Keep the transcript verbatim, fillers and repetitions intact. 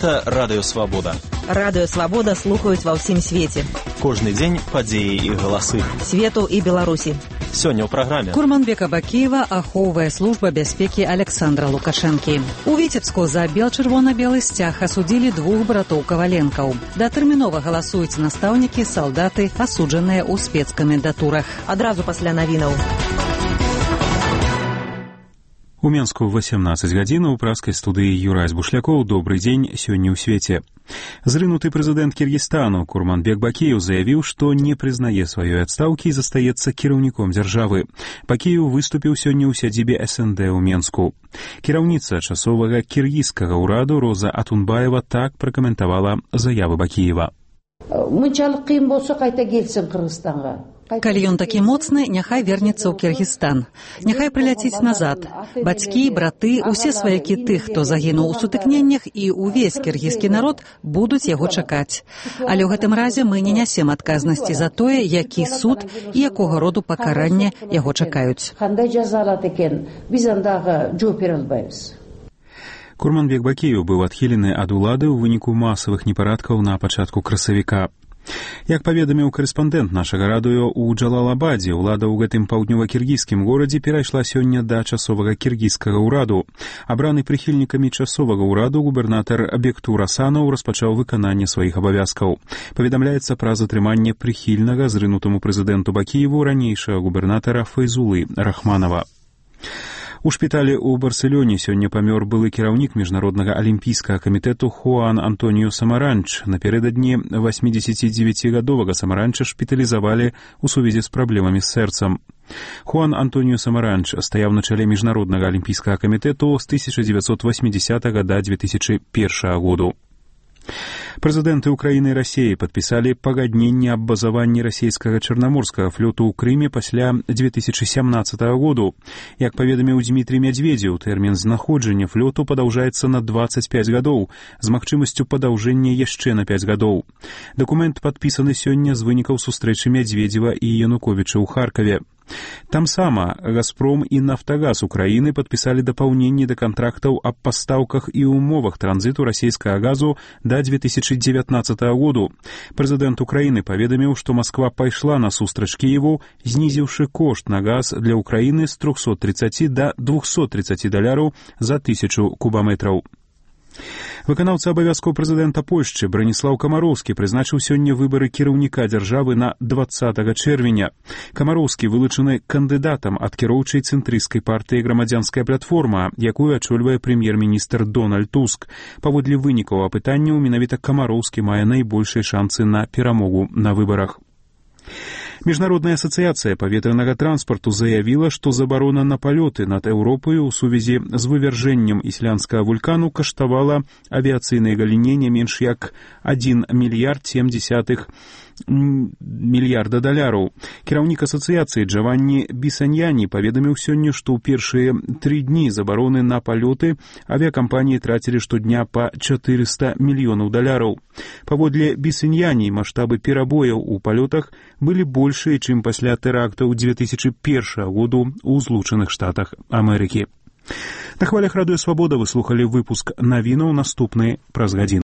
Гэта Радыё Свабода. Радыё Свабода слухаюць ва ўсім свеце. Кожны дзень падзеі і галасы. Свету і Беларусі. Сёння ў праграме. Курманбека Бакіева ахоўвае служба бяспекі Александра Лукашэнкі. У Віцебску за бел-чырвона-белы сцяг асудзілі двух братоў Каваленкаў. Датэрмінова галасуюць настаўнікі, салдаты, асуджаныя ў спецкамендатурах. Адразу пасля навінаў. У Менску восемнадцать гадзін у праскай студыі Юрась Бушлякоў. Добрый дзень, сёння ў свеце. Зрынуты прэзідэнт Кіргізстану Курманбек Бакіеў заявіў, што не прызнае сваёй адстаўкі і застаецца кіраўніком дзяржавы. Бакіеў выступіў сёння ў сядзібе эс эн дэ ў Менску. Кіраўніца часовага кіргізскага ўраду Роза Атунбаева так пракаментавала заявы Бакіева. Мынчалык кыйын болсо кайта келсин Кыргызстанга. Калі ён такі моцны, няхай вернецца ў Кіргізстан. Няхай прыляціць назад. Бацькі, браты, усе сваякі тых, хто загінуў у сутыкненнях, і ўвесь кіргізскі народ будуць яго чакаць. Але ў гэтым разе мы не нясем адказнасці за тое, які суд і якога роду пакаранне яго чакаюць. Курманбек Бакіеў быў адхілены ад улады ў выніку масавых непарадкаў на пачатку красавіка. Як паведаміў карэспандэнт нашага радыё ў Джалалабадзе, улада ў гэтым паўднёва-кіргізскім горадзе перайшла сёння да часовага кіргізскага ўраду. Абраны прыхільнікамі часовага ўраду губернатар Бектур Асанаў распачаў выкананне сваіх абавязкаў. Паведамляецца пра затрыманне прыхільнага зрынутаму прэзідэнту Бакіеву ранейшага губернатара Файзулы Рахманова. У шпіталі ў Барселоне сёння памёр былы кіраўнік міжнароднага алімпійскага камітэту Хуан Антоніо Самаранч. Напярэдадні восьмідзесяцідзевяцігадовага Самаранча шпіталізавалі ў сувязі з праблемамі з сэрцам. Хуан Антоніо Самаранч стаяў на чале міжнароднага алімпійскага камітэту з тысяча дзевяцьсот восьмідзесятага да дзве тысячы першага году. Прэзідэнты Украіны і Расіі падпісалі пагадненне аб базаванні расійскага чарнаморскага флоту ў Крыме пасля дзве тысячы сямнаццатага году. Як паведаміў Дмітрий Медведзеў, тэрмін знаходжання флоту падаўжаецца на дваццаць пяць гадоў, з магчымасцю падаўжэння яшчэ на пяць гадоў. Дакумент падпісаны сёння з вынікаў сустрэчы Медведзева і Януковіча ў Харкаве. Там сама «Газпром» і «Нафтагаз» Украіны падпісалі дапаўненні да кантрактаў аб пастаўках і умовах транзіту расійскага газу да дзве тысячы дзевятнаццатага году. Прэзідэнт Украіны паведаміў, што Масква пайшла насустрач Кіеву, знізіўшы кошт на газ для Украіны з трохсот трыццаці да двухсот трыццаці даляраў за тысячу кубаметраў. Выканаўца абавязкаў прэзідэнта Польшчы Браніслаў Камароўскі прызначыў сёння выбары кіраўніка дзяржавы на дваццатага чэрвеня. Камароўскі вылучаны кандыдатам ад кіроўчай цэнтрысцкай партыі «Грамадзянская платформа», якую ачольвае прэм'ер-міністр Дональд Туск. Паводле вынікаў апытанняў, менавіта Камароўскі мае найбольшыя шанцы на перамогу на выбарах. Міжнародная асацыяцыя паветранага транспарту заявіла, што забарона на палёты над Еўропаю ў сувязі з вывяржэннем ісландскага вулкану каштавала авіяцыйнай галіне не менш як адзін мільярд сем дзесятых мільярда даляраў. Кіраўнік асацыяцыі Джаванні Бісаньяні паведаміў сёння, што ў першыя тры дні забароны на палёты авіякампаніі трацілі штодня па чатырыста мільёнаў даляраў. Паводле Бісаньяні маштабы перабояў у палётах былі большыя, чым пасля тэрактаў дзве тысячы першага году ў Злучаных Штатах Амерыкі. На хвалях Радыё Свабода вы слухалі выпуск навінаў, наступны праз гадзіну.